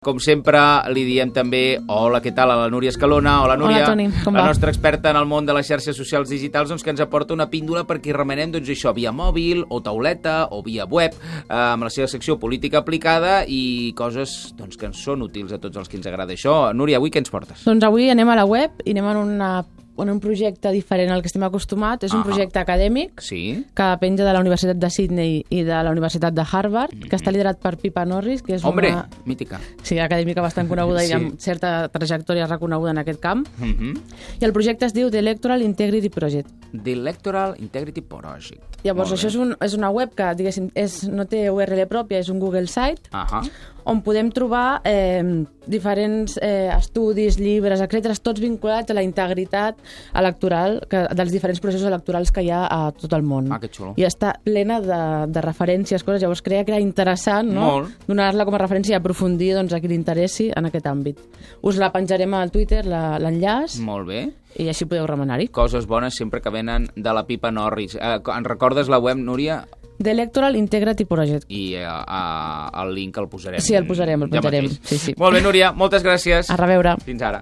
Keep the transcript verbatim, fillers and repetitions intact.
Com sempre, li diem també hola, què tal, a la Núria Escalona. Hola, Núria. Hola, Toni, com la va? nostra experta en el món de les xarxes socials digitals, doncs, que ens aporta una píndola perquè remenem doncs, això via mòbil o tauleta o via web, eh, amb la seva secció política aplicada i coses doncs, que ens són útils a tots els que ens agrada això. Núria, avui què ens portes? Doncs avui anem a la web i anem en, una, en un projecte diferent al que estem acostumats. És un Ah. projecte acadèmic Sí? que penja de la Universitat de Sydney i de la Universitat de Harvard, mm -hmm. que està liderat per Pippa Norris, que és Hombre, una mítica. sí, acadèmica bastant coneguda Sí. i amb certa trajectòria reconeguda en aquest camp. Mm -hmm. I el projecte es diu The Electoral Integrity Project. The Electoral Integrity Project. Llavors, això és, un, és una web que, diguéssim, és, no té U R L pròpia, és un Google Site, Ahà. on podem trobar eh, diferents eh, estudis, llibres, etcètera, tots vinculats a la integritat electoral que, dels diferents processos electorals que hi ha a tot el món. Ah, que xulo. I està plena de, de referències, coses. Llavors creia que era interessant, no? Molt. Donar-la com a referència i aprofundir doncs, a qui li interessi en aquest àmbit. Us la penjarem al Twitter, la- l'enllaç, Molt bé. i així podeu remenar-hi. Coses bones sempre que venen de la Pippa Norris. Eh, en recordes la web, Núria? The Electoral Integrity Project. I eh, eh, el link el posarem. Sí, el posarem, el ja penjarem. mateix. Sí, sí. Molt bé, Núria, moltes gràcies. A reveure. Fins ara.